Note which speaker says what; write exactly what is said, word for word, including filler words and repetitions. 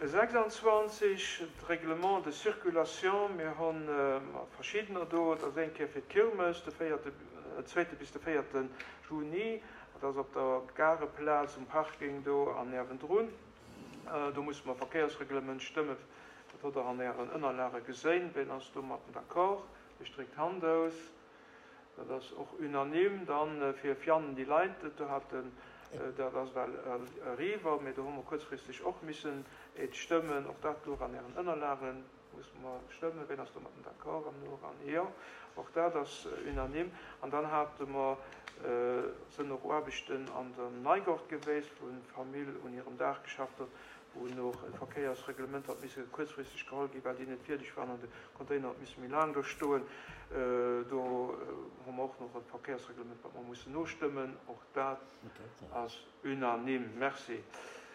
Speaker 1: sechsanzwanzeg, d'Règlement de circulation, mir hunn verschiddener do, et ass eng Kéier fir d'Kirmes, de véierte, zweete bis de véierte Juni, dat ass op der Gareplaz um Parking do an niewendrun. Do musse mer Verkéiersreglement stëmmen, dat hutt Der an Ären Ënnerlage geséin. Ween ass domatten d'accord? Ech dréck d'Hand aus. Dat ass och unanime. Dann fir Vianden déi Leit, do haten, dat ass well eriwwer, mee do hu mer kuerzfristeg och missen et stëmmen. Och dat louch an Ären Ënnerlagen. Musse mer stëmmen. Ween ass domatten d'accord am Nora? Jo, och dat ass unanime. An dann hate mer, sënn och Aarbechten an der Neigort geweest, wou d'Famill un hirem Daach geschafft huet, wou och e Verkéiersreglement hat misse kuerzfristeg geholl ginn, well déi net fierdeg waren an de Container huet misse méi laang do stoen. Do hu mer och nach e Verkéiersreglement, wat mer mussen nostëmmen. Och dat ass unanime. Merci.